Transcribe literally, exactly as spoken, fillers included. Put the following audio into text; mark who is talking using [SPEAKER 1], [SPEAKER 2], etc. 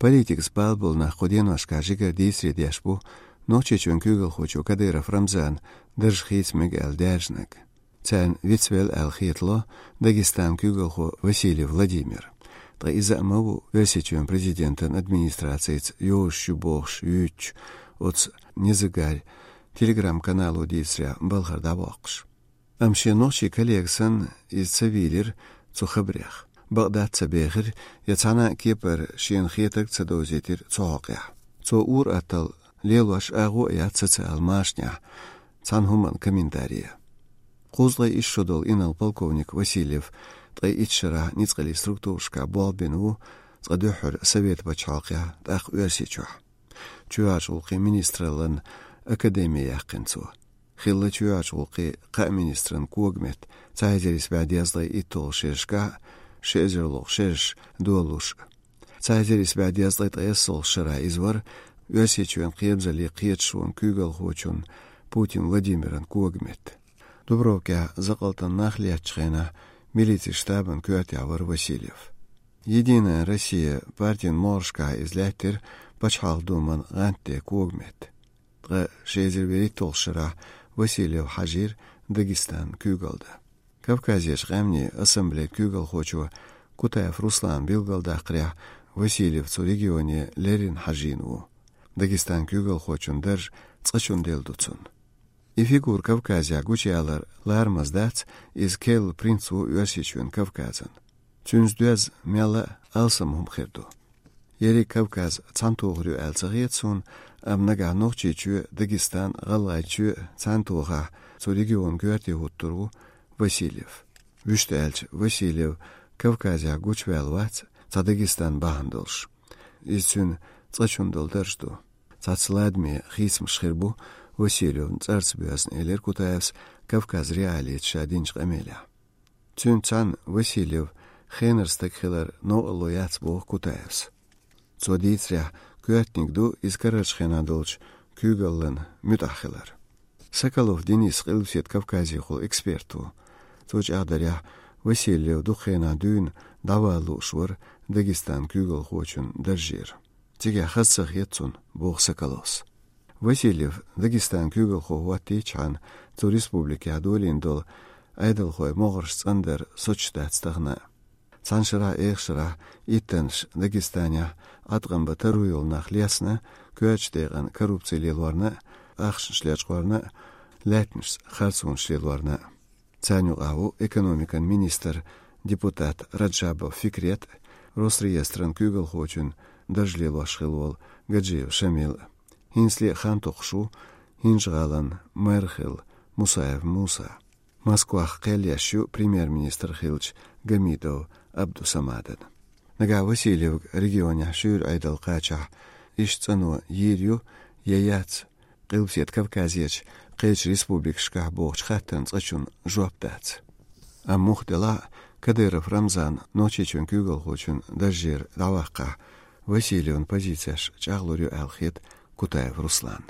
[SPEAKER 1] Политик сбалбул на ходеношка жигер дисри дешбу, ночечун кюгел хочу Кадыров Рамзан, дырж хитмег эл дяжнак. Цен вицвел эл хитло, Дагестан кюгел хо Василий Владимир. Тра иза маву версичун президентен администрациец Йош Бохш Юч, от незагарь, телеграм-каналу дисря Балхардавокш. Амши ночи коллексан из цивилир цухабрях. Багдад цабехир, яцана кипер шин хитак цадозитир цоокя. Цо ур атал лелуаш агу яцаца алмашня, цанхуман комментария. Кузлай ишшодол инал полковник Васильев, трай итшара ницкали структуршка болбину, цадухур совет бачалкя, тах уерсичух. Чуаш улки министралан академия яқинцу. Хилла чуаш улки қа министран кугмет, цайзерис бадязлай итол шешка, шезерлох шеш дуалуш. Цайзерис бадязлай тайсол шара извар, уерсичуан қиебзали қиетшуан кюгал хочун Путин Владимиран кугмет. Дубровка закалтан нахлячхена милиции штабан Кюатявар Васильев. Единая Россия партин Моршка излятер Пачхал думан ганте кугмет. Тра шезервери толшара Васильев Хажир Дагестан кюгалда. Кавказеш гамни ассамблея кюгал хочу Кутаев Руслан Билгалда қря Васильев цу регионе Лерин Хажину. Дагестан кюгал хочун держ цачун делдуцун. И фигур Кавказя гучалар лармаздац из кел принцу Юасичуэн Кавказан. Цюнздуаз мяла алсам хумхерду. Ери Кавказ цантуғрю әлцағетсун, амнага нохчичу Дагестан ғалайчу цантуға цу регион гуарти хуттуру Васильев. Вүшті әлч Васильев Кавказя гучвелвац ца Дагестан бахандылш. Изцүн цачундылдыржду. Цацладми хисм шхирбу Васильев царцбюасн элер Кутаевс Кавказ реалиет шадинч қамеля. Цүн цан Васильев хенерстак хилар но лояц бог Кутаевс. Цодицря кюатникду из Карачхенадолч кюгаллан мютахилар. Соколов Денис Хилвсет Кавказий хол эксперту. Цоч адаря Васильев духена дюн давалу швар Дагестан кюгал хочун държир. Тиге хассах етцун бог Соколос. Васильев Дагестан кюгал хо ватичан цу республики адолиндол айдал хой могырш цандер сочтацтагна. Цаншыра эхшыра иттенш Дагестания атган таруйол нахлясна кюачтеган коррупцияларна ахшыншлячкварна лятнш харцуншлеларна. Цаню аву экономикан министр депутат Раджабов Фикрет Росреестран кюгал хочун дажлелашхилвол Гаджиев Шамил. Хинсли хантухшу хинжгалан Мерхил Мусаев Муса. Москвах Кельяшу премьер-министр Хилч Гамидов Абдусамаден. Нага Васильев регионе шур айдал кача ишцану ерю яяц Кылсет Кавказеч Кыч республик шках бохч хаттан цачун жуаптац. А мухдела Кадыров Рамзан ночечун кюгал хочун дажир давака Васильевн позицияш чаглурю алхит Кутаев Руслан.